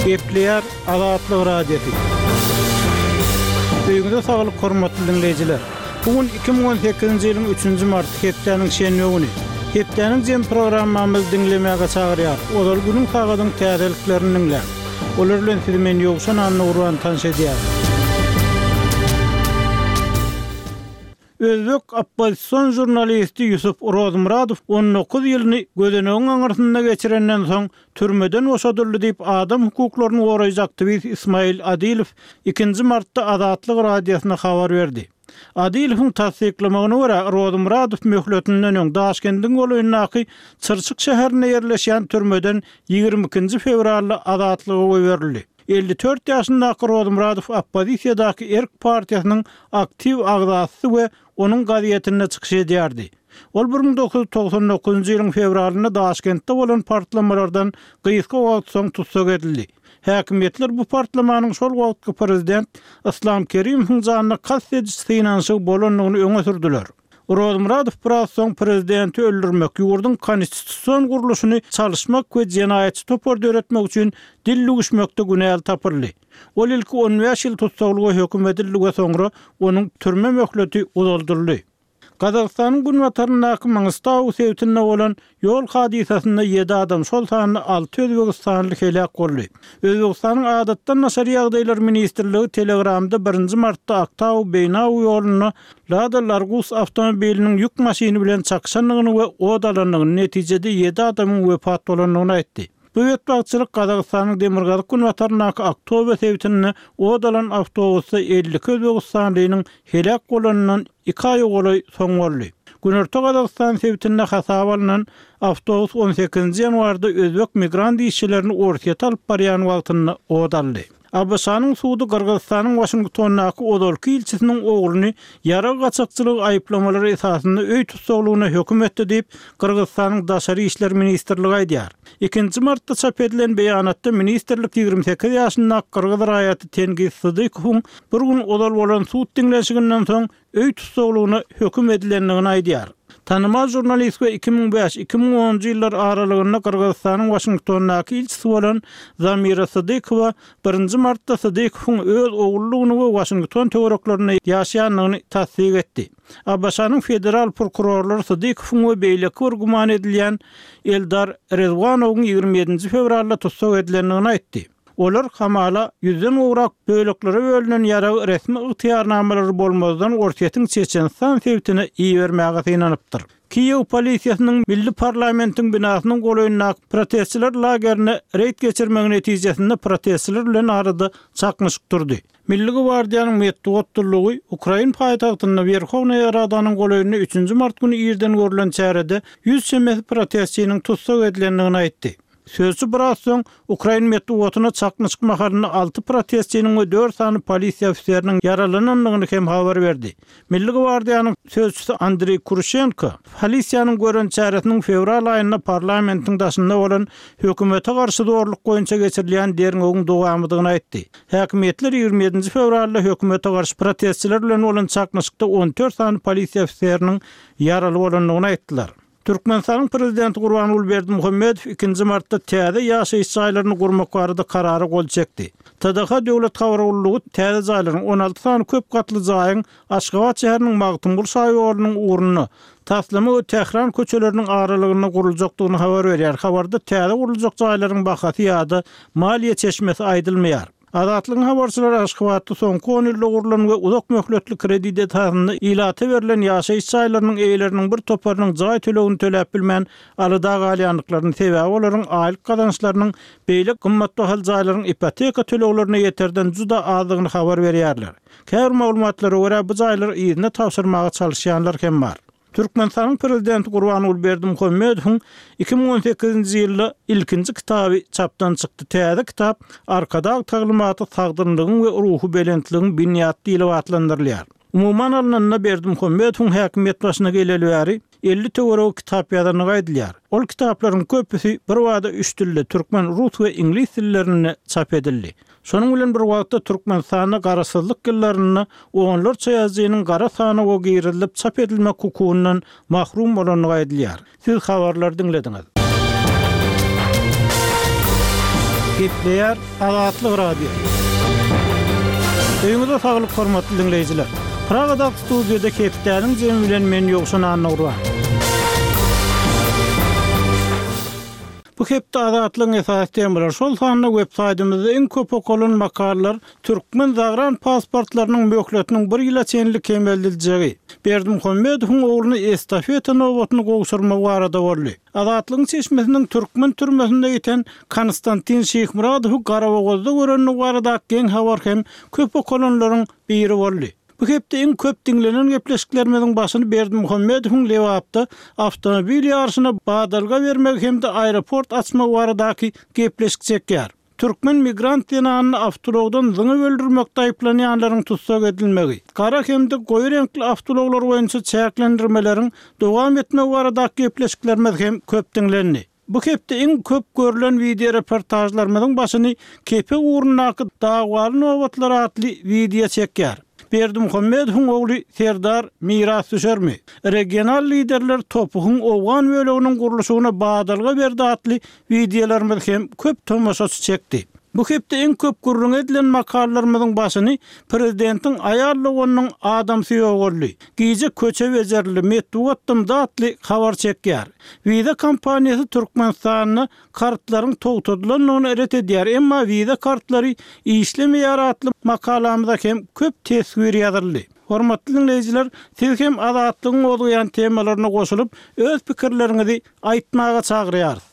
Gepleýär Azatlyk Radiosy. Öýüňize saglyk hormatly diňleýjiler. Bu gün 2018-nji ýylyň üçünji marty hepdäniň şenbe güni. Hepdäniň jem programmamyzy diňlemäge çagyrýarys. Ozal günüň sagadyň täzeliklerini diňläň. Olar bilen sizi men Ýowşan Annagurban tanyş edýärin. Özbek oppozision žurnalisti Ýusup Rozmyradow 19 ýylyny gözenegiň aňyrsynda geçirenden soň türmeden boşadyldy diýip, adam hukuklaryny goraýjy aktiwist Ismail Adilow ikinji martda Azatlyk Radiosyna habar berdi. Adilowyň tassyklamagyna görä, Rozmyradow möhletinden öň Daşkendiň golaýyndaky Çyrçyk şäherinde ýerleşýän türmeden 22-nji fewralda azatlyga goýberildi. 54 ýaşyndaky Rozmyradow oppozisiýadaky Erk partiýasynyň aktiw agzasy we onuň gazetinde çykyş edýärdi. Ol 1999-njy ýylyň fewralynda Daşkentde bolan partlamalardan gysga wagt soň tussag edildi. Häkimiýetler bu partlamanyň şol wagtky prezident Yslam Kerimowyň janyna kast ediş synanyşygy bolandygyny öňe sürdüler. Rozmyradow biraz soň prezidenti öldürmek, ýurduň konstitusion gurluşyny çalyşmak we jenaýatçy topar döretmek üçin dil düwüşmekde günäli tapyldy. Ol ilki 15 ýyl tussaglyga höküm edildi we soňra onuň türme möhleti uzaldyldy. Gazagystanyň günbataryndaky Mangystau sebitinde bolan ýol hadysasynda ýedi adam, şol sanda alty özbegistanly heläk boldy. Özbegistanyň Adatdan daşary ýagdaýlar ministrligi Telegramda birinji martda Aktau-Beýnau ýolunda Lada Largus awtomobiliniň ýük maşyny bilen çakyşandygyny we ot alandygyny, netijede ýedi adamyň wepat bolandygyny aýtdy. Bu betbagtçylyk Gazagystanyň demirgazyk-günbataryndaky Aktobe sebitinde ot alan awtobusda 52 özbegistanlynyň heläk bolanyndan iki aýa golaý soň boldy. Günorta Gazagystan sebitinde hasaba alnan awtobus on sekizinji ýanwarda özbek migrant işçilerini Orsýete alyp barýan wagtynda ot aldy. ABŞ-nyň sudy Gyrgyzystanyň Waşingtondaky ozalky ilçisiniň ogluny ýarag gaçakçylygy aýyplamalary esasynda öý tussaglygyna höküm etdi diýip, Gyrgyzystanyň Daşary işler ministrligi aýdýar. Ikinji martda çap edilen beýanatda ministrlik 28 ýaşyndaky gyrgyz raýaty Tengiz Sydykowyň bir gün ozal bolan sud diňlenişiginden soň öý tussaglygyna höküm edilendigini aýdýar. Tanymal žurnalist we 2005, 2010-njy ýyllar aralygynda Gyrgyzystanyň Waşingtondaky ilçisi bolan Zamira Sydykowa birinji martda Sydykowyň öz ogludygyny we Waşington töwereklerinde ýaşaýandygyny tassyk etdi. ABŞ-nyň federal prokurorlary Sydykowyň we beýleki bir güman edilýän Eldar Rezwanowyň 27-nji fewralda tussag edilendigini aýtdy. Olar hamala ýüzden gowrak böleklere bölünen ýaragy resmi ygtyýarnamalary bolmazdan Orsýetiň Çeçenistan sebitine ibermäge synanypdyr. Kiýew polisiýasynyň milli parlamentiň binasynyň golaýyndaky protestçiler lagerine reýd geçirmegi netijesinde protestçiler bilen arada çaknyşyk turdy. Milli gwardiýanyň metbugat gullugy ukrain paýtagtynda Werhownaýa Radanyň golaýynda üçünji mart güni irden görlen çärede ýüz çemesi protestçiniň tussag edilendigini aýtdy. Sözçi biraz soň, ukrain metbugatyna çaknyşyk mahalynda alty protestçiniň we dört sany polisiýa ofiseriniň ýaralanandygyny hem habar berdi. Milli gwardiýanyň sözçüsi Andreý Kurşenko polisiýanyň gören çäresiniň fewral aýynda parlamentiň daşynda bolan hökümete garşy zorluk boýunça geçirilýän derňewiň dowamydygyny aýtdy. Häkimiýetler 27-nji fewralda hökümete garşy protestçiler bilen bolan çaknyşykda 14 sany polisiýa ofiseriniň ýaraly bolandygyny aýtdylar. Türkmenistanyň Prezidenti Gurbanguly Berdimuhamedow ikinji martda täze ýaşaýyş jaýlaryny gurmak barada Karara gol çekdi. TDH döwlet habar gullugy täze jaýlaryň, 16 sany köp gatly jaýyň Aşgabat şäheriniň Magtymguly şaýolunyň ugrunda, Taslama we Tähran köçeleriniň aralygynda guruljakdygyny habar berýär. Habarda täze guruljak jaýlaryň bahasy ýa-da maliýe çeşmesi aýdylmaýar. Azatlygyň habarçylary Aşgabatda soňky on ýylda gurlan we uzak möhletli kredit esasynda ilata berlen ýaşaýyş jaýlarynyň eýeleriniň bir toparynyň jaý tölegini töläp bilmän alada galýandyklaryny, sebäbi olaryň aýlyk gazançlarynyň beýle gymmatbahaly jaýlaryň ipoteka töleglerine ýeterden juda azdygyny habar berýärler. Käbir maglumatlara görä, bu jaýlary yzyna tabşyrmaga çalyşýanlar hem bar. Türkmenistanyň Prezidenti Gurbanguly Berdimuhamedowyň 2018-nji ýylda ilkinji kitaby çapdan çykdy. Täze kitap Arkadag taglymaty sagdynlygyň we ruhubelentligiň binýady diýlip atlandyrylýar. Umuman alnanda, Berdimuhamedowyň häkimiýet başyna geleli bäri 50 töweregi kitap ýazandygy aýdylýar. Ol kitaplaryň köpüsi birbada üç dilde, türkmen, rus we iňlis dillerinde çap edildi. Şonuň bilen bir wagtda Türkmenistanda Garaşsyzlyk ýyllarynda onlarça ýazyjynyň gara sanawa girizilip çap edilmek hukugyndan mahrum bolandygy aýdylýar. Siz habarlary diňlediňiz. Gepleýär Azatlyk Radiosy. Öýüňize saglyk hormatly diňleýjiler. Pragadaky studiýada hepdäniň jemi bilen men Ýowşan Annagurban. Bu hepde Azatlygyň esasy temalary, şol sanda web saýtymyzda iň köp okalan makalalar türkmen zagran pasportlarynyň möhletiniň bir ýyla çenli kemeldiljegi, Berdimuhamedowyň ogluny estafeta nobatyny gowşurmagy barada boldy. Azatlygyň çeşmesiniň türkmen türmesinde ýiten Konstantin Şyhmyradowy Garabogazda görendigi baradaky geň habar hem köp okalanlaryň biri boldy. Bu hepde iň köp diňlenen gepleşiklerimiziň başyny Berdimuhamedowyň Lebapda awtomobil ýaryşyna badalga bermegi hem-de aeroport açmagy baradaky gepleşik çekýär. Türkmen migrant zenanyny awtoulagdan zyňyp öldürmekde aýyplanýanlaryň tussag edilmegi, gara hem-de goýy reňkli awtoulaglar boýunça çäklendirmeleriň dowam etmegi baradaky gepleşiklerimiz hem köp diňlendi. Bu hepde iň köp görlen wideoreportažlarymyzyň başyny Kepek ugrundaky dawaly nobatlar atly wideo çekýär. Berdimuhamedowyň ogly Serdar mirasdüşermi? Regional liderler TOPH-yň owgan böleginiň gurluşygyna badalga berdi atly wideolarymyz hem köp tomaşaçy çekdi. Bu hepde iň köp gürrüňi edilen makalalarymyzyň başyny prezidentiň aýal doganynyň adamsy ýogaldy, gije köçe bejerildi, metbugat dymdy atly habar çekýär. Visa kompaniýasy Türkmenistanda kartlaryň togtadylandygyny ret edýär, emma Visa kartlary işlemeýär atly makalamyza hem köp teswir ýazyldy. Hormatly diňleýjiler, siz hem Azatlygyň gozgaýan temalaryna goşulyp, öz pikirleriňizi aýtmaga çagyrýarys.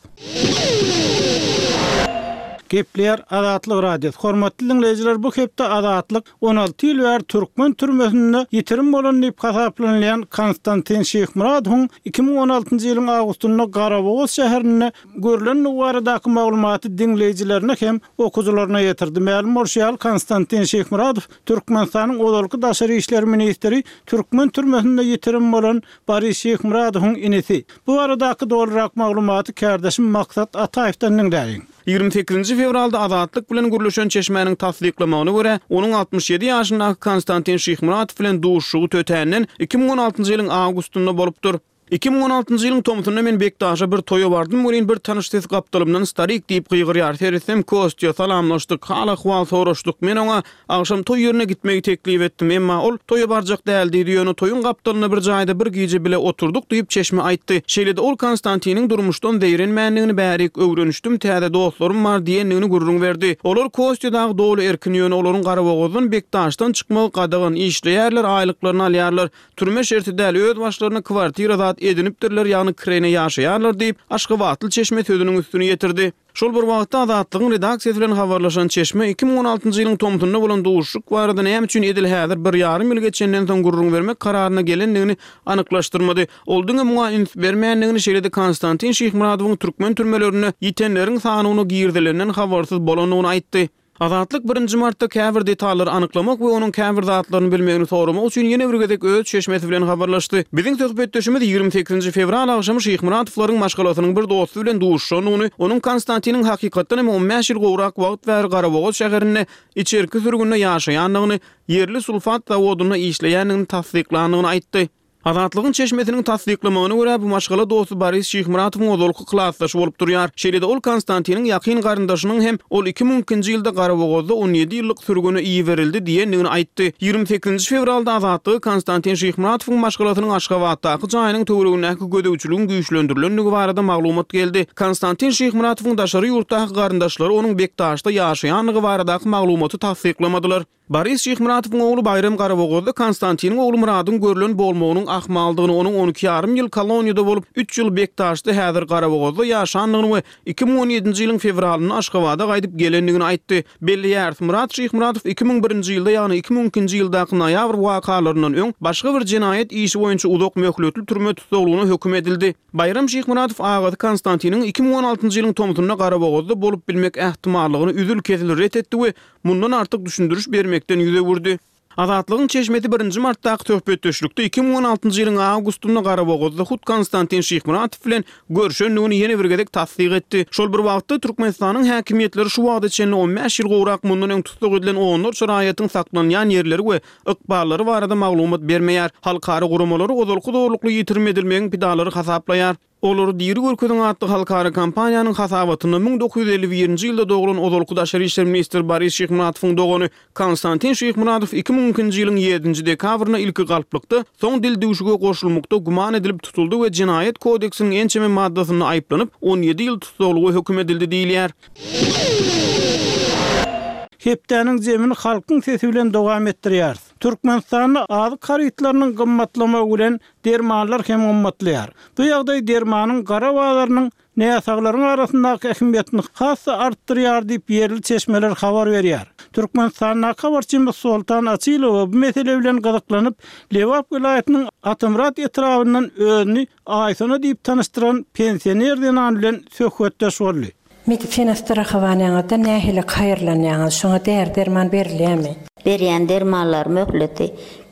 Gepleýär Azatlyk Radiosy. Hormatly diňleýjiler, bu hepde Azatlyk 16 ýyl bäri türkmen türmesinde ýitirim bolan diýip hasaplanylýan Konstantin Şyhmyradowyň 2016-njy ýylyň awgustynda Garabogaz şäherinde görlendigi baradaky maglumaty diňleýjilerine hem okyjylaryna ýetirdi. Mälim bolşy ýaly, Konstantin Şyhmyradow Türkmenistanyň ozalky daşary işler ministri, türkmen türmesinde ýitirim bolan Boris Şyhmyradowyň inisi. Bu baradaky dolurak maglumaty kärdeşim Maksat Ataýewden diňläliň. Ýigrimi sekizinji fewralda Azatlyk bilen gürleşen çeşmäniň tassyklamagyna görä, onuň 67 ýaşyndaky Konstantin Şyhmyradow bilen duşuşygy tötänden 2016-njy ýylyň awgustynda bolupdyr. 2016-njy ýylyň tomsunda men Bekdaşa bir toýa bardym welin bir tanyş ses gapdalymdan starik diýip gygyrýar. Seretsem Kostýa, salamlaşdyk, hal-ahwal soraşdyk. Men oňa agşam toý ýerine gitmegi teklip etdim. Emma ol toýa barjak däl diýdi, ýöne toýuň gapdalynda bir jaýda bir gije bile oturdyk diýip çeşme aýtdy. Şeýle-de ol Konstantiniň durmuşdan zeýrenmändigini bärik öwrenişdim, täze dostlarym bar diýendigini gürrüň berdi. Olar Kostýa dagy doly erkin, ýöne olaryň Garabogazdan Bekdaşdan çykmagy gadagan, işleýärler, aýlyklaryny alýarlar. Türme şerti däl, öz başlaryna kwartira zat edinipdirler, ýagny kireýne ýaşaýarlar diýip, aşgabatly çeşme sözüniň üstüni ýetirdi. Şol bir wagtda, Azatlygyň redaksiýasy bilen habarlaşan çeşme 2016-njy ýylyň tomsunda bolan duşuşyk barada näme üçin edil häzir bir ýarym ýyl geçenden soň gürrüň bermek kararyna gelendigini anyklaşdyrmady. Ol diňe muňa üns bermändigini, şeýle-de Konstantin Şyhmyradowyň türkmen türmelerinde ýitenleriň sanawyna girizilenden habarsyz bolandygyny aýtdy. Azatlyk birinji martda käbir detallary anyklamak we onuň käbir zatlaryny bilmegini soramak üçin ýene bir gezek öz çeşmesi bilen habarlaşdy. Biziň söhbetdeşimiz 28-nji fewral agşamy Şyhmyratowlaryň maşgalasynyň bir dosty bilen duşuşandygyny, onuň Konstantiniň hakykatdan hem on bäş ýyl gowrak wagt bäri Garabogaz şäherinde içerki sürgünde ýaşaýandygyny, ýerli sulfat zawodynda işleýändigini tassyklandygyny aýtdy. Azatlygyň çeşmesiniň tassyklamagyna görä, bu maşgala dosty Boris Şyhmyratowyň ozalky klasdaşy bolup durýar. Şeýle-de ol Konstantiniň ýakyn garyndaşynyň hem ol 2002-nji ýylda Garabogazda on ýedi ýyllyk sürgüne iberildi diýendigini aýtdy. 28-nji fewralda Azatlyga Konstantin Şyhmyratowyň maşgalasynyň Aşgabatdaky jaýynyň töweregindäki gözegçiligiň güýçlendirilendigi barada maglumat geldi. Konstantin Şyhmyratowyň daşary ýurtdaky garyndaşlary onuň Bekdaşda ýaşaýandygy baradaky maglumaty tassyklamadylar. Boris Şyhmyratowyň ogly Baýram Garabogazda Konstantiniň ogly Myradyň görlen bolmagynyň ahmaldygyny, onuň on iki ýarym ýyl koloniýada bolup, üç ýyl Bekdaşda, häzir Garabogazda ýaşandygyny we 2017-nji ýylyň fewralynda Aşgabada gaýdyp gelendigini aýtdy. Belleýäris, Myrat Şyhmyratow 2001-nji ýylda, ýagny 2002-nji ýyldaky noýabr wakalaryndan öň başga bir jenaýat işi boýunça uzak möhletli türme tussaglygyna höküm edildi. Baýram Şyhmyradow agasy Konstantiniň 2016-njy ýylyň tomsunda Garabogazda bolup bilmek ähtimallygyny üzül-kesil ret etdi we mundan artyk düşündiriş bermekden ýüz öwürdi. Azatlygyň çeşmesi birinji martdaky söhbetdeşlikde 2016-njy ýylyň awgustynda Garabogazda hut Konstantin Şyhmyratow bilen görşendigini ýene bir gezek tassyk etdi. Şol bir wagtda, Türkmenistanyň häkimiýetleri şu wagta çenli on bäş ýyl gowrak mundan öň tussag edilen onlarça raýatyň saklanýan ýerleri we ykballary barada maglumat bermeýär. Halkara guramalary ozalky zorlukly ýitirim edilmegiň pidalary hasaplaýar. Olary diri görkeziň atly halkara kampaniýanyň hasabatynda 1951-nji ýylda doglan ozalky daşary işler ministri Boris Şyhmuratowyň dogany Konstantin Şyhmuratow 2002-nji ýylyň ýedinji dekabrynda ilki galplykda, soň dildüwşüge goşulmakda güman edilip tutuldy we Jenaýat kodeksiniň ençeme maddasynda aýyplanyp, 17 ýyl tussaglyga höküm edildi diýilýär. Hepdäniň jemini Halkyň sesi bilen dowam etdirýäris. Türkmenistanda azyk harytlarynyň gymmatlamagy bilen dermanlar hem gymmatlaýar. Bu ýagdaý dermanyň gara bazarynyň näsaglaryň arasyndaky ähmiýetini has-da artdyrýar diýip, ýerli çeşmeler habar berýär. Türkmenistandaky habarçymyz Soltan Açylowa bu mesele bilen gyzyklanyp, Lebap welaýatynyň Atamyrat etrabyndan özüni Aýsona diýip tanyşdyran pensioner zenan bilen söhbetdeş boldy. Medisina strahowaniýaňyzda nähili haýyrlanýaňyz? Şoňa däri-derman berilýärmi? Berýän dermanlary möhleti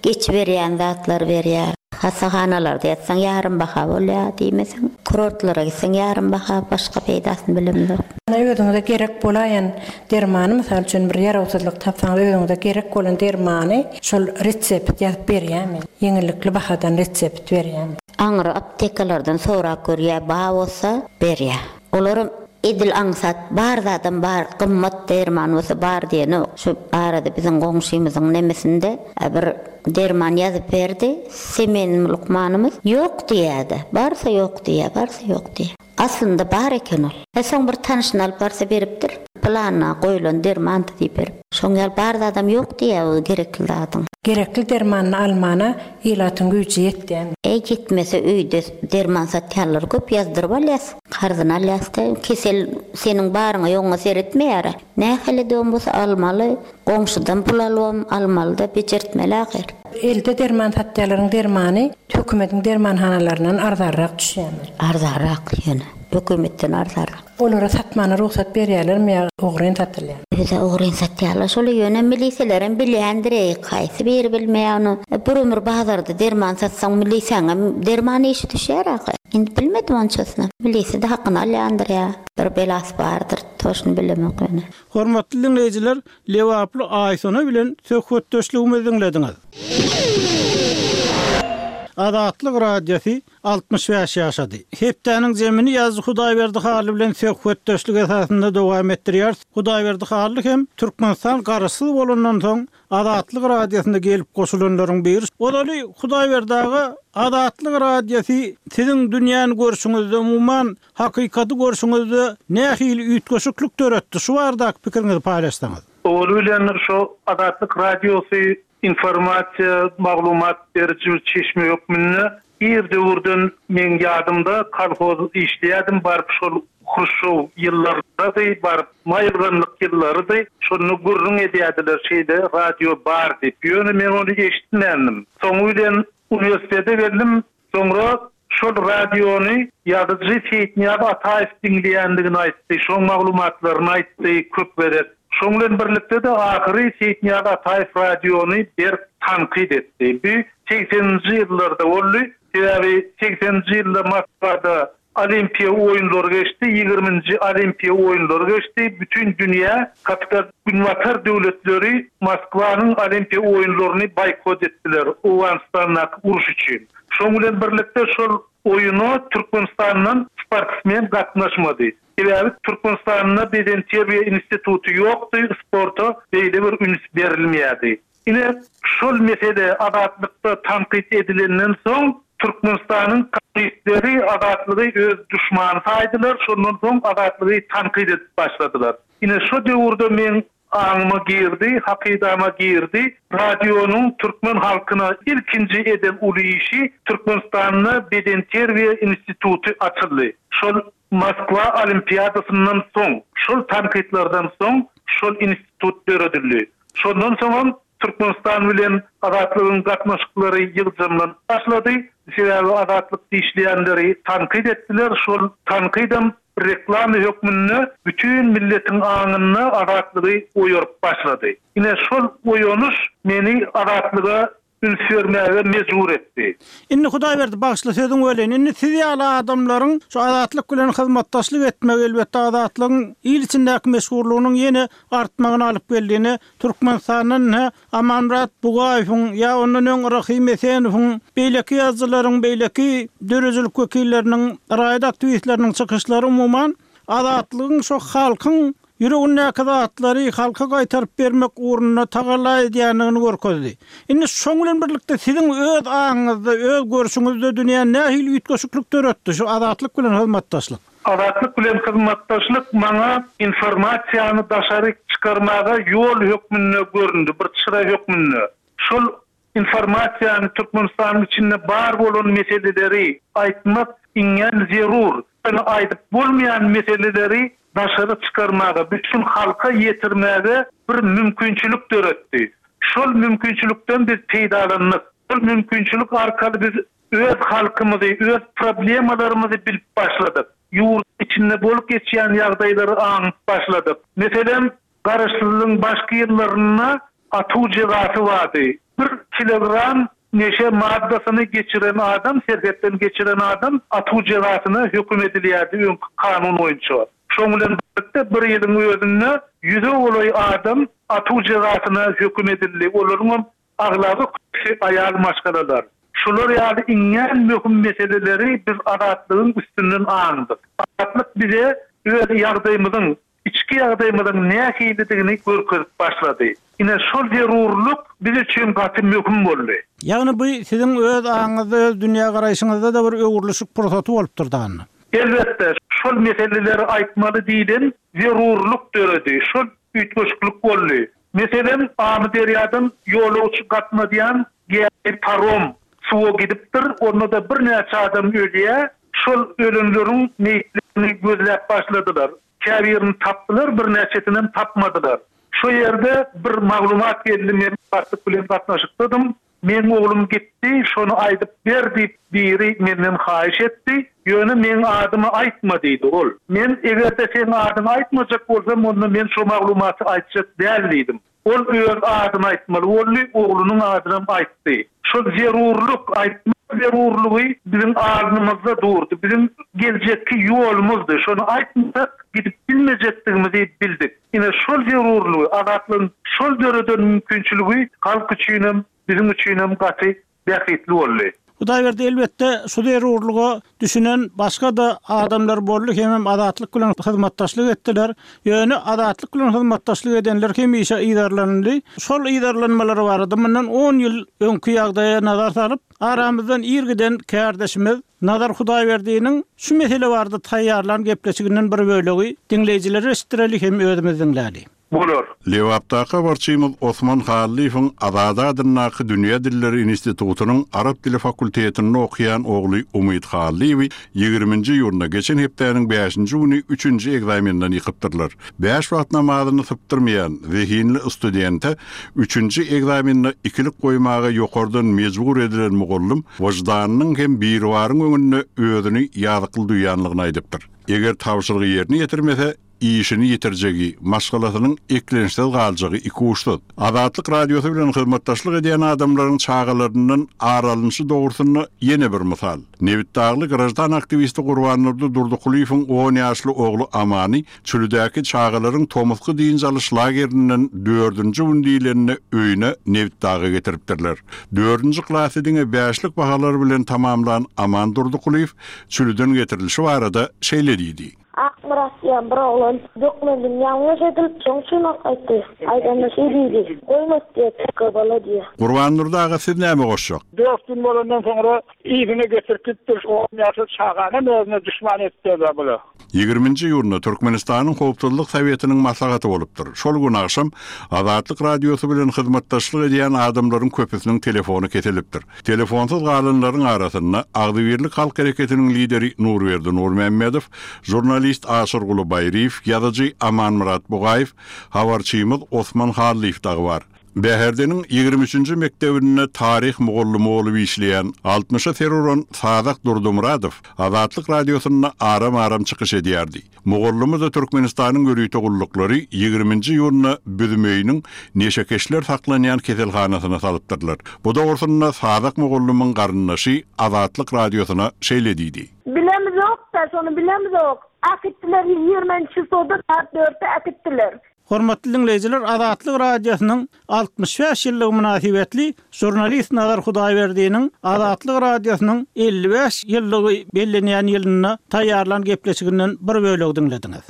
geçiberýän zatlary berýär. Hassahanalarda ýatsaň ýarym baha bolýar diýmeseň. Kurortlara gitseň ýarym baha, başga peýdasyny bilemzok. Ýöne özüňize gerek bolaýan dermany, mysal üçin bir ýarawsyzlyk tapsaňyz özüňize gerek bolan dermany şol retsept ýazyp berýärmi? Ýeňillikli bahadan retsept berýärmi? Aňry aptekalardan sorap görýär, bar bolsa berýär. Olaram edil aňsat bar zadam bar gymmat derman bolsa bar diýenok. Şu arada biziň goňşymyzyň nemesinde bir derman ýazyp berdi semen lukmanymyz ýok diýýädä barsa ýok diýýä barsa ýok diýýä. Aslynda bar eken ol. E soň bir tanşyny alyp barsa beripdir. Planyna goýlan dermandy diýip berip. Şoň ýaly bar zadam ýok diýýä o gerekli zadyň. Gerekli dermanyny almana ilatyň güýji ýetýämi? Eý ýetmese öýde derman satýanlar köp ýazdyryp alýas. Karzyny alýas-da, kesel seniň baryňa-ýoguňa seretmeýär-ä. Nähili-de bolsa almaly, goňşudan pul alybam almaly-da, bejertmeli ahyr. Elde derman satýanlaryň dermany hökümetiň dermanhanalaryndan arzanrak düşýärmi? Arzanrak ýöne, hökümetden arzanrak. Olara satmana rugsat berýärlermi ýa ogryn satylýarmy? Özä ogryn satýarlar şoly ýöne miliselerem bilýändireý haýsy biri bilmeýär ony. Bir ömür bazarda derman satsaň milisäňem derman işi düşýär ahy. Indi bilmedim onçasyny. Milisede hakyny alýandyr ýa bir belasy bardyr toşny bilemok ýöne. Hormatly diňleýjiler, lebaply Aýsona bilen söhbetdeşligimizi diňlediňiz. Azatlyk Radiosy 65 ýaşady. Hepdäniň zemini ýazyjy Hudaýberdi Hally bilen söhbetdeşlik esasynda dowam etdirýäris. Hudaýberdi Hally hem Türkmenistan Garaşsyz bolandan soň Azatlyk Radiosyna gelip goşulanlaryň biri. Ozaly Hudaýberdi aga, Azatlyk Radiosy siziň dünýäni görşüňizde, umuman, hakykaty görşüňizde nähili üýtgeşiklik döretdi? Şu baradaky pikiriňizi paýlaşsaňyz. Owaly bilen şo Azatlyk Radiosy Informasiýa, maglumat beriji bir çeşme hökmünde ir döwürden meň ýadymda kolhoz işleýärdim baryp şol Hruşşow ýyllarydy baryp maýylganlyk ýyllarydy şonda gürrüň edýärdiler şeýle radio bar diýip ýöne men ony eşitmändim soňy bilen uniwersitete geldim Soňra şol radiony ýazyjy Seýitnyýaz Ataýew diňleýändigini aýtdy, şoň maglumatlaryny aýtdy köp gezek. Şoň bilen birlikde-de ahyry Seýitnyýaz Ataýew radiony berk tankyt etdi. Bu segseninji ýyllarda boldy. Sebäbi segseninji ýylda Moskwada Olimpiýa oýunlary geçdi, ýigriminji Olimpiýa oýunlary geçdi. Bütin dünýä, kapital Günbatar döwletleri Moskwanyň Olimpiýa oýunlaryny boýkot etdiler Owganystandaky uruş üçin. Şoň bilen birlikde şol oýuna Türkmenistandan sportsmen gatnaşmady. Sebäbi Türkmenistanda bedenterbiýe instituty ýokdy, sporta beýle bir üns berilmeýärdi. Ine, şol mesele Azatlykda tankyt edilenden soň, Türkmenistanyň kommunistleri Azatlygy öz duşmany saýdylar, şondan soň Azatlygy tankyt edip başladylar. Ine, şo döwürde meň aňyma girdi, hakydama girdi, radionyň türkmen halkyna ilkinji eden uly işi Türkmenistanda bedenterbiýe instituty açyldy. Şol Moskwa olimpiadasyndan soň, şol tankytlardan soň şol institut döredildi. Şondan soňam Türkmenistan bilen Azatlygyň gatnaşyklary ýygjamlanyp başlady. Sebäbi Azatlyk dişleýänleri tankyt etdiler. Şol tankydam reklama hökmünde bütin milletiň aňynda Azatlygy oýaryp başlady. Ine şol oýanyş meni Azatlyga. Üns bermäge mejbur etdi. Indi Hudaýberdi bagyşla sözüňi böleýin. Indi siz ýaly adamlaryň şu Azatlyk bilen hyzmatdaşlyk etmegi elbetde Azatlygyň il içindäki meşhurlygynyň ýene artmagyna alyp geldi. Ine Türkmenistandan ine Amanmyrat Bugaýewiň ýa ondan öň Rahym Esenowyň beýleki ýazyjylaryň beýleki döredijilik wekilleriniň raýat aktiwistleriniň çykyşlary umuman Azatlygyň şo halkyň ýüregindäki zatlary halka gaýtaryp bermek ugrunda tagalla edýändigini görkezdi. Indi şoň bilen birlikde siziň öz aňyňyzda, öz görşüňizde dünýä nähili üýtgeşiklik döretdi şu Azatlyk bilen hyzmatdaşlyk? Azatlyk bilen hyzmatdaşlyk maňa informasiýany daşaryk çykarmaga ýol hökmünde göründi, bir çyra hökmünde. Şol Informasiýany Türkmenistanyň içinde bar bolan meseleleri aýtmak iňňän zerur. Ýöne aýdyp bolmaýan meseleleri daşary çykarmaga, bütin halka ýetirmäge bir mümkinçilik döretdi. Şol mümkinçilikden biz peýdalandyk. Şol mümkinçilik arkaly biz öz halkymyzy, öz problemalarymyzy bilip başladyk. Ýurduň içinde bolup geçýän ýagdaýlary aňyp başladyk. Meselem, Garaşsyzlygyň başky ýyllarynda atuw jezasy bardy. Bir kilogram neşe maddasyny geçiren adam, serhetden geçiren adam atuw jezasyna höküm edilýärdi öňki kanun boýunça. Şoň bilen birlikde bir ýylyň özünde ýüze golaý adam atuw jezasyna höküm edildi. Olaryňam aglaba köpüsi aýal maşgalalar. Şular ýaly iňňän möhüm meseleleri biz Azatlygyň üstünden aňdyk. Azatlyk bize öz ýagdaýymyzyň, içki ýagdaýymyzyň nähilidigini görkezip başlady. Ine, şol zerurlyk biz üçin gaty möhüm boldy. Ýagny bu siziň öz aňyňyzda, öz dünýägaraýşyňyzda-da bir öwrülişik pursaty bolupdyr da. Elbetde, şol meseleleri aýtmaly diýlen zerurlyk döredi, şol üýtgeşiklik boldy. Meselem, Amyderýadan ýolagçy gatnadýan gämi, parom, suwa gidipdir, onda-da birnäçe adam ölýär. Şol ölenleriň meýitlerini gözläp başladylar. Käbirini tapdylar, birnäçesinem tapmadylar. Şo ýerde bir maglumat geldi, men başlyk bilen gatnaşykdadym. Meň oglum gitdi, şony aýdyp ber diýip biri menden haýyş etdi. Ýöne meň adymy aýtma diýdi ol. Men eger-de seň adyňy aýtmajak bolsam, onda men şo maglumaty aýtjak däl diýdim. Ol öz adyny aýtmaly boldy, oglunyň adynam aýtdy. Şol zerurlyk, aýtmak zerurlygy biziň alnymyzda durdy, biziň geljekki ýolumyzdy. Şony aýtmasak gidip bilmejekdigimizi bildik. Ine, şol zerurlygy, Azatlygyň şol döreden mümkinçiligi halk üçinem, biziň üçinem gaty bähbitli boldy. Hudaýberdi, elbetde, şu zerurlyga düşünen başga-da adamlar boldy hemem Azatlyk bilen hyzmatdaşlyk etdiler. Ýöne Azatlyk bilen hyzmatdaşlyk edenler hemişe yzarlanyldy. Şol yzarlanmalar barada mundan on ýyl öňki ýagdaýa nazar salyp, aramyzdan ir giden kärdeşimiz Nazar Hudaýberdiniň şu mesele barada taýýarlan gepleşiginden bir bölegi diňleýjilere eşitdireli hem özümiz diňläli. Bolar. Lebapdaky habarçymyz Osman Hallyýewiň Azady adyndaky Dünýä dilleri institutynyň arap dili fakultetinde okaýan ogly Umyt Hallyýewi ýigriminji iýunda, geçen hepdäniň bäşinji güni üçünji ekzamenden ýykypdyrlar. Bäş wagt namazyny sypdyrmaýan zehinli studente üçünji ekzamende ikilik goýmaga ýokardan mejbur edilen mugallym wyždanynyň hem Biribaryň öňünde özüni ýazykly duýanlygyny aýdypdyr. Eger tabşyrygy ýerine ýetirmese, işini ýitirjegi, maşgalasynyň eklençsiz galjagy ikuçsuz. Azatlyk Radiosy bilen hyzmatdaşlyk edýän adamlaryň çagalaryndan ar alnyşy dogrusynda ýene bir mysal. Nebitdagly graždan aktiwisti Gurbandurdy Durdykulyýewiň on ýaşly ogly Amany Çülidäki çagalaryň tomusky dynç alyş lagerinden dördünji gün diýlende öýüne Nebitdaga getiripdirler. Dördünji klasy diňe bäşlik bahalar bilen tamamlan Aman Durdykulyýew Çüliden getirilişi barada şeýle diýdi. Akmyrat diýen bir oglan dökmezini ýalňyş edilip, şoň üçin ol aýtdy. Aýdanda şeý diýdi, Goýmas diýýär, teke bala diýýär. Gurbandurdy aga siz näme goşjak? Dört gün bolandan soňra yzyna getirip gitdir. On ýaşly çaganam özüne duşman etdiler bular. Ýigriminji iýunda Türkmenistanyň Howpsuzlyk Sowetiniň maslahaty bolupdyr. Şol gün agşam Azatlyk Radiosy bilen hyzmatdaşlyk edýän adamlaryň köpüsiniň telefony kesilipdir. Telefonsyz galanlaryň arasynda Agzybirlik halk hereketiniň lideri Nurberdi Nurmämmedow, žurnalist Aşyrguly Baýryýew, ýazyjy Amanmyrat Bugaýew, habarçymyz Osman Hallyýew dagy bar. Bäherdeniň ýigrimi üçünji mekdebinde taryh mugallymy bolup işleýän, altmyşa ser uran Sazak Durdymyradow Azatlyk Radiosynda aram-aram çykyş edýärdi. Mugallymy-da Türkmenistanyň ýörite gulluklary ýigriminji iýunda Büzmeýiniň neşekeşler saklanýan keselhanasyna salypdyrlar. Bu dogrusynda Sazak mugallymyň garyndaşy Azatlyk Radiosyna şeýle diýdi. Bilemizok-da, şony bilemizok. Äkitdiler, ýigriminji çisloda saat dörtde äkitdiler. Hormatly diňleýjiler Azatlyk Radiosynyň 65 ýyllygy mynasybetli žurnalist Nazar Hudaýberdiniň Azatlyk Radiosynyň 55 ýyllygy bellenýän ýylynda taýýarlan gepleşiginden bir bölegi diňlediňiz.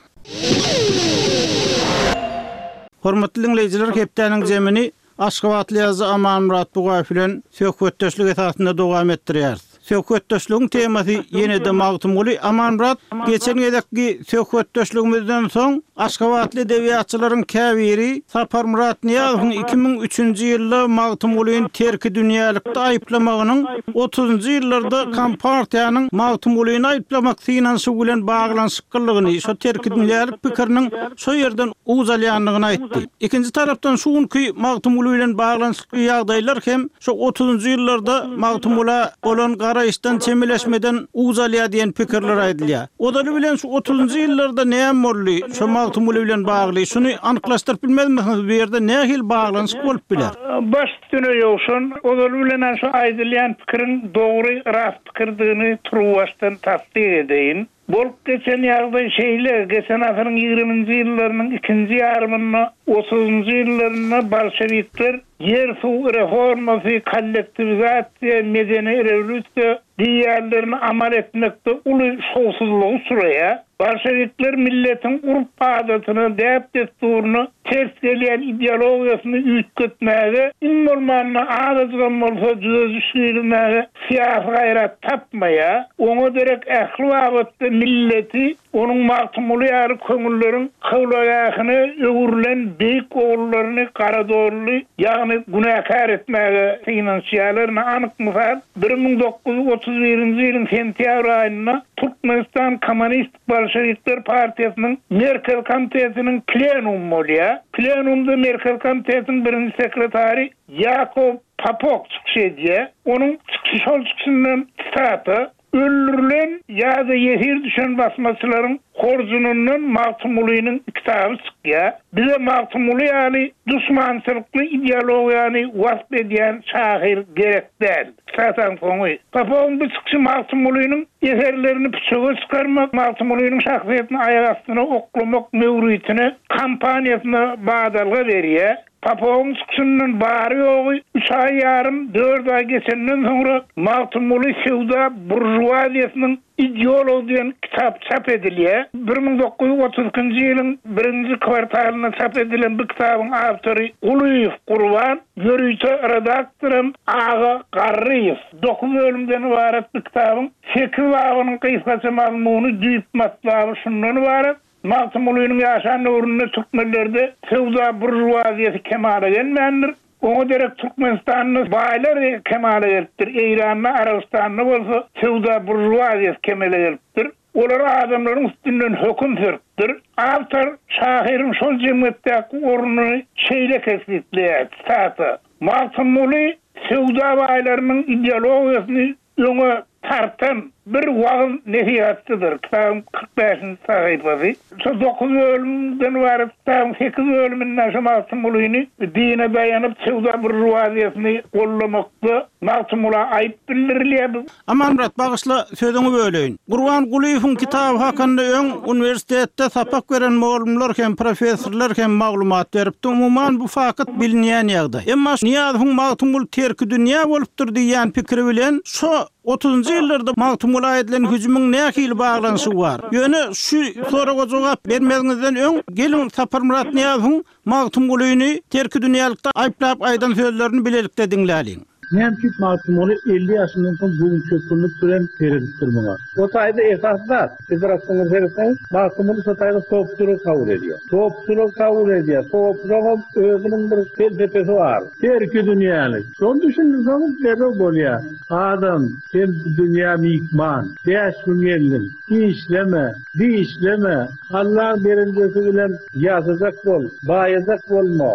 Hormatly diňleýjiler hepdäniň jemini Aşgabatly ýazyjy Amanmyrat Bugaýew bilen söhbetdeşlik esasynda dowam etdirýäris. Söhbetdeşligiň temasy ýene-de Magtymguly. Amanmyrat, geçen gezekki söhbetdeşligimizden soň aşgabatly edebiýatçylaryň käbiri Saparmyrat Nyýazowyň 2003-nji ýylda Magtymgulyny terkidünýälikde aýyplamagynyň otuzynjy ýyllarda Kompartiýanyň Magtymgulyny aýyplamak synanyşygy bilen baglanyşyklydygyny, şo terkidünýälik pikiriniň şo ýerden uç alýandygyny aýtdy. Ikinji tarapdan şu günki Magtymguly bilen baglanyşykly ýagdaýlar hem şo otuzynjy ýyllarda Magtymgula bolan garaýyşdan, çemeleşmeden uç alýar diýen pikirler aýdylýar. Ozaly bilen şu otuzynjy ýyllarda näme boldy şo Magtymguly bilen bagly, şuny anyklaşdyryp bilmezmisiňiz, bu ýerde nähili baglanyşyk bolup biler? Baş üstüne Ýowşan, ozaly bilen-ä şu aýdylýan pikiriň dogry, rast pikirdigini turuwbaşdan tassyk edeýin. Bolup geçen ýagdaý şeýle, geçen asyryň ýigriminji ýyllarynyň ikinji ýarymynda, otuzynjy ýyllarynda bolşewikler ýer-suw reformasy, kollektiwizasiýa, medeni rewolýusiýa diýýänlerini amal etmekde uly şowsuzlyga uçraýar. Bolşewikler milletiň urp-adatyna, däp-dessuryna ters gelýän ideologiýasyny üýtgetmäge, iň bolmanda azajygam bolsa düzediş girizmäge syýasy gaýrat tapmaýar. Oňa derek ähli babatda milleti onuň Magtymguly ýaly köňülleriň kyblagähine öwrülen beýik ogullaryny garadolly, ýagny günäkär etmäge synanyşýarlar. Ine, anyk mysal, 1931-nji ýylyň sentýabr aýynda Türkmenistan Kommunistik Bolşewikler partiýasynyň Merkezi komitetiniň plenumy bolýar. Plenumda Merkezi komitetiniň birinji sekretary Ýakow Popok çykyş edýär. Onuň çykyşy şol çykyşyndan sitata, Öldürilen ýa-da ýesir düşen basmaçylaryň horjunyndan Magtymgulynyň kitaby çykýar. Bize Magtymguly ýaly duşmançylykly ideologiýany wasp edýän şahyr gerek däl. Sitataň soňy. Popowyň bu çykyşy Magtymgulynyň eserlerini püçege çykarmak, Magtymgulynyň şahsyýetini aýak astyna oklamak möwritine, kampaniýasyna badalga berýär. Popowyň çykyşyndan bary-ýogy üç aý ýarym, dört aý geçenden soňra Magtymguly söwda buržuaziýasynyň ideology diýen kitap çap edilýär. 1932-nji ýylyň birinji kwartalynda çap edilen bu kitabyň awtory Gulyýew Gurban, ýörite redaktoram Aga Garryýew. Dokuz bölümden ybarat bu kitabyň sekiz babynyň gysgaça mazmuny, düýp matlaby şundan ybarat, Magtymgulynyň ýaşan döwründe türkmenlerde söwda buržuaziýasy kemala gelmändir. Oňa derek Türkmenistanda baýlar kemala gelipdir, Eýranda, Arabystanda bolsa söwda buržuaziýasy kemele gelipdir. Olar adamlaryň üstünden höküm sürüpdir. Awtor şahyryň şol jemgyýetdäki ornuny şeýle kesgitleýär, sitata, Magtymguly söwda baýlarynyň ideologiýasyny öňe tartan bir wagyz-nesihatçydyr, kitabyň 45-nji sahypasy. Şo dokuz bölümden ybarat kitabyň sekiz bölüminde şo Magtymgulyny dine daýanyp söwda buržuaziýasyny gollamakda Magtymgula aýyp bildirilýär. Amanmyrat, bagyşla, sözüňi böleýin. Gurban Gulyýewiň kitaby hakynda öň uniwersitetde sapak beren mugallymlar hem, professorlar hem maglumat beripdi. Umuman, bu fakt bilinýän ýagdaý. Emma Nyýazowyň Magtymguly terkidünýä bolupdyr diýýän pikiri bilen şo otuzynjy ýyllarda Magtymgula edilen hüjümiň nähili baglanyşygy bar? Ýöne şu soraga jogap bermeziňizden öň, geliň Saparmyrat Nyýazowyň Magtymgulyny terkidünýälikde aýyplap aýdan sözlerini bilelikde diňläliň. Näme üçin Magtymguly 50 ýaşyndan soň göwünçökgünlik bilen seredipdir muňa? O taýda esasy zat, siz bir aslynda seretseňiz, Magtymguly şo taýda sopçulygy kabul edýär. Sopçulygy kabul edýär. Sopçulygyň özüniň bir pelsepesi bar. Terkidünýälik. Şony düşündirseňiz derrew bolýar. Adam, sen bu dünýä myhman. Bäş gün geldiň. Işleme, dişleme. Allaň berenjesi bilen ýaşajak bol, baýajak bolma.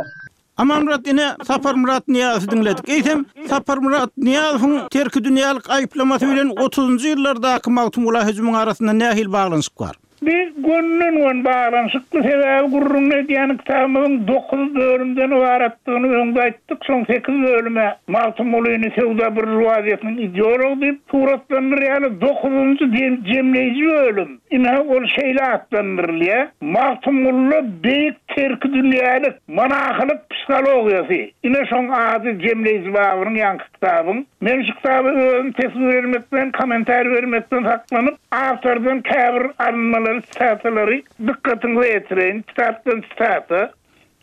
Amanmyrat ine Saparmyrat Nyýazowy diňledik. Eýsem, Saparmyrat Nyýazowyň terkidünýälik aýyplamasy bilen otuzynjy ýyllardaky Magtymgula hüjümiň arasynda nähili baglanyşyk bar? Bi gönden-göni baglanyşykly, sebäbi gürrüňini edýän kitabymyzyň dokuz bölümden ybaratdygyny öňde aýtdyk, şoň sekiz bölüm-ä Magtymgulyny söwda buržuaziýasynyň ideology diýip suratlandyrýarlar, dokuzynjy jemleýji bölüm, Ine, ol şeýle atlandyrylýar, Magtymgulyda beýik terkidünýälik, monahylyk psihologiýasy. Ine, şoň ady jemleýji babynyň ýaňky kitabyň. Men şu kitaba özüm teswir bermekden, kommentariý bermekden saklanyp, awtordan käbir alynmalary, sitatalary dykgatyňyza ýetireýin. Kitapdan sitata,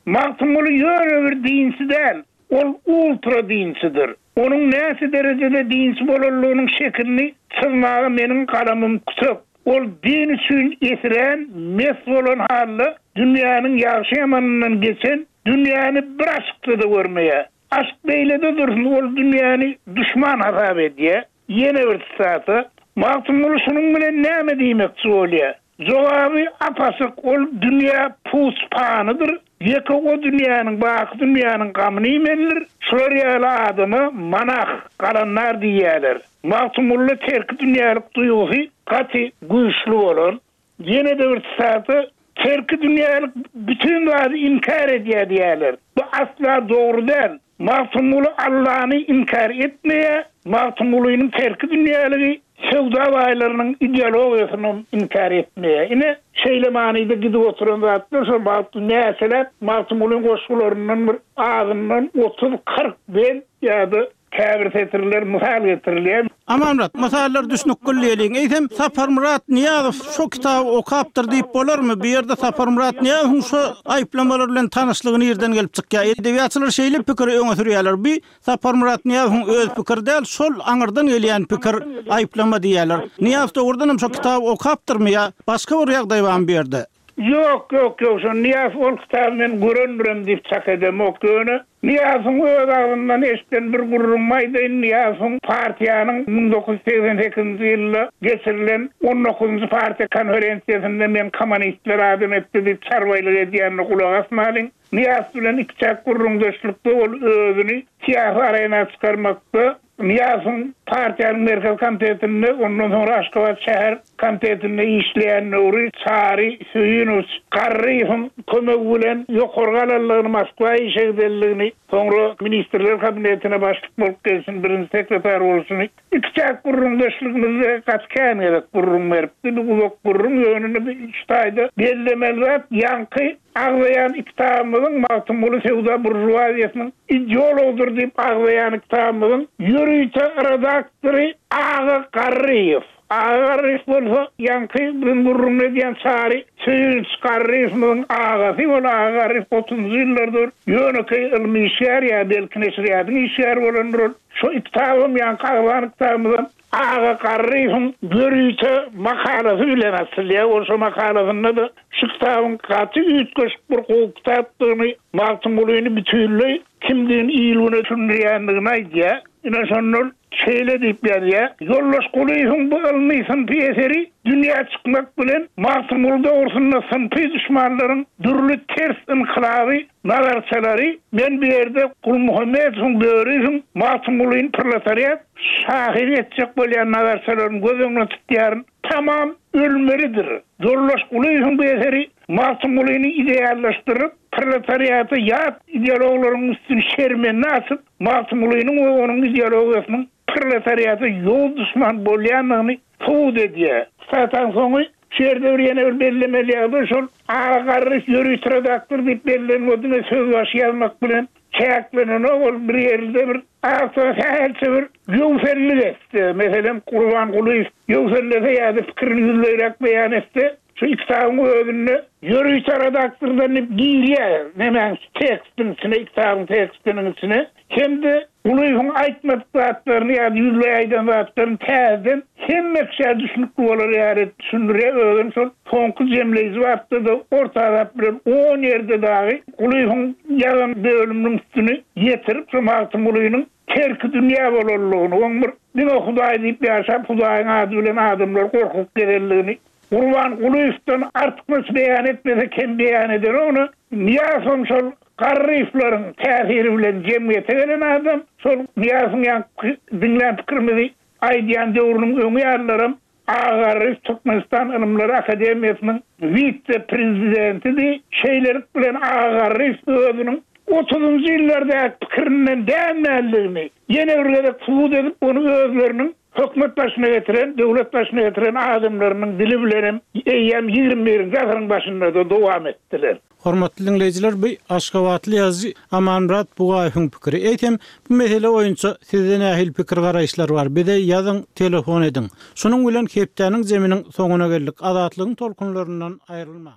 Magtymguly ýöne bir dinçi däl, ol ultra dinçidir. Onuň näçe derejede dinçi bolanlygynyň şekilini çyzmaga meniň galamym kütek. Ol din üçin esirän, mes bolan halda dünýäniň ýagşy-ýamanyndan geçen, dünýäni bir aşykda-da görmeýär. Aşk beýlede dursun, ol dünýäni duşman hasap edýär. Ýene bir sitata, Magtymguly şunuň bilen näme diýmekçi bolýar? Jogaby ap-açyk, ol dünýä puç panydyr, ýeke o dünýäniň, baky dünýäniň gamyny iýmelidir, şular ýaly adama monah, galandar diýýärler. Magtymgulyda terki dünýälik duýgusy gaty güýçli bolan. Ýene-de bir sitata, Terki dünýälik bütin zady inkär edýär diýýärler. Bu asla dogry däl. Magtymguly Allany inkär etmeýär, Magtymgulynyň terki dünýäligi söwda baýlarynyň ideologiýasynam inkär etmeýär. Ine, şeýle manyda gidip oturan zatlar şol wagt näçeläp Magtymgulyň goşgularyndan bir azyndan otuz-kyrk bent ýa-da käbir setirler mysal getirilýär. Amanmyrat, mysallar düşnükgil diýeliň. Eýsem, Saparmyrat Nyýazow şo kitaby okapdyr diýip bolarmy? Bu ýerde Saparmyrat Nyýazowyň şo aýyplamalar bilen tanyşlygy nirden gelip çykýar? Edebiýatçylar şeýle pikiri öňe sürýärler. Bu Saparmyrat Nyýazowyň öz pikiri däl, şol aňyrdan gelýän pikir, aýyplama diýýärler. Nyýazow dogrudanam şo kitaby okapdyrmy ýa başga bir ýagdaý barmy bu ýerde? Ýok, ýok, ýok, şo Nyýazow ol kitaby men görendirem diýip çak edemok, ýöne Nyýazowyň öz agzyndan eşiden bir gürrüňimi aýdaýyn, Nyýazowyň partiýanyň 1988-nji ýylda geçirilen on dokuzynjy partiýa konferensiýasynda men kommunistler adam etdi diýip çarbaýlyk edýänine gulak asmalyň. Nyýazow bilen ikiçäk gürrüňdeşlikde ol özüni syýasy arena çykarmakda Nyýazowyň partiýanyň Merkezi Komitetinde, ondan soňra Aşgabat şäher komitetinde işleýän döwri Çary Söýünowiç Garryýewiň kömegi bilen ýokary galanlygyny, Moskwa işe gidenligini, soňra Ministrler Kabinetine başlyk bolup gelşini, birinji sekretar bolşuny ikiçäk gürrüňdeşligimizde gaty kän gezek gürrüň beripdi. Bu uzak gürrüň, ýöne şu taýda bellemeli zat, ýaňky Agzaýan kitabymyzyň Magtymguly söwda buržuaziýasynyň ideologydyr diýip agzaýan kitabymyzyň ýörite redaktory Aga Garryýew. Aga Garryýew bolsa ýaňky biziň gürrüňini edýän Çary Söýünç Garryýewimiziň agasy. Ol Aga Garryýew otuzynjy ýyllarda bir ýönekeý ylmy işgär ýa belki neşirýatyň işgäri bolandyr ol. Şo kitabam ýaňky agzan kitabymyzam Aga Garryýewiň ýörite makalasy bilen açylýar. Ol şo makalasynda-da şu kitabyň gaty üýtgeşik bir gowy kitapdygyny, Magtymgulyny bütinleý kimdigini il-güne düşündirýändigini aýdýar. Ine, şonda ol şeýle diýip ýazýar, Ýoldaş Gulyýewiň bu ylmy-synpy eseri dünýä çykmak bilen Magtymguly dogrusynda synpy duşmanlaryň dürli ters ynkylaby nazarçalary, men bu ýerde Gulmuhammedowyň, Böriýewiň Magtymgulyny proletariat şahyry etjek bolýan nazarçalaryny göz öňünde tutýaryn, tamam ölmelidir. Ýoldaş Gulyýewiň bu eseri Magtymgulyny ideallaşdyryp, proletariata ýat ideologlaryň üstüni şermende açyp, Magtymgulynyň we onuň ideologiýasynyň proletariata ýowuz duşman bolýandygyny subut edýär. Sataň soňy şu ýerde bir ýene bir bellemeli ýagdaý şol Aga Garryş ýörite redaktor diýip bellenen o diňe sözbaşy ýazmak bilen çäklenenok ol bir ýerde bir awtora sähelçe bir ýöwsellik etse meselem Gurban Gulyýew ýöwsellese ýa-da pikirini ýüzleýräk beýan etse şu kitabyň özünde ýörite redaktordan diýip girýär nemäň tekstiň içine kitabyň tekstiniň içine hem-de Gulyýewiň aýtmadyk zatlaryny ýa-da ýüzleý aýdan zatlaryny täzeden hemme kişä düşnükli bolar ýaly edip düşündirýär. Özem şol soňky jemleýji bapda-da orta azap bilen on ýerde dagy Gulyýewiň ýazan bölüminiň üstüni ýetirip, şo Magtymgulynyň terki dünýä bolanlygyny, oň bir diňe Hudaý diýip ýaşap, Hudaýyň ady bilen adamlary gorkuzyp gezenligini Gurban Gulyýewden artykmaç beýan etmese kem beýan edenok. Ony Nyýazowam şol. Garryýewleriň täsiri bilen jemgyýete gelen adam, şol Nyýazowyň ýaňky diňlän pikirimizi aýdýan döwrüniň öňi ýalylaram A. Garryýew Türkmenistan Ylymlar akademiýasynyň wise-prezidentidi. Şeýlelik bilen A. Garryýew özüniň otuzynjy ýyllardaky pikirinden dänmänligini ýene bir gezek subut edip, ony özleriniň hökümet başyna getiren, döwlet başyna getiren adamlarynyň dili bilenem eýýäm ýigrimi birinji asyryň başynda-da dowam etdiler. Hormatly diňleýjiler, bu aşgabatly ýazyjy Amanmyrat Bugaýewiň pikiri. Eýsem, bu mesele boýunça sizde nähili pikir-garaýyşlar bar? Bize ýazyň, telefon ediň. Şunuň bilen hepdäniň zeminiň soňuna geldik. Azatlygyň tolkunlaryndan aýrylmaň.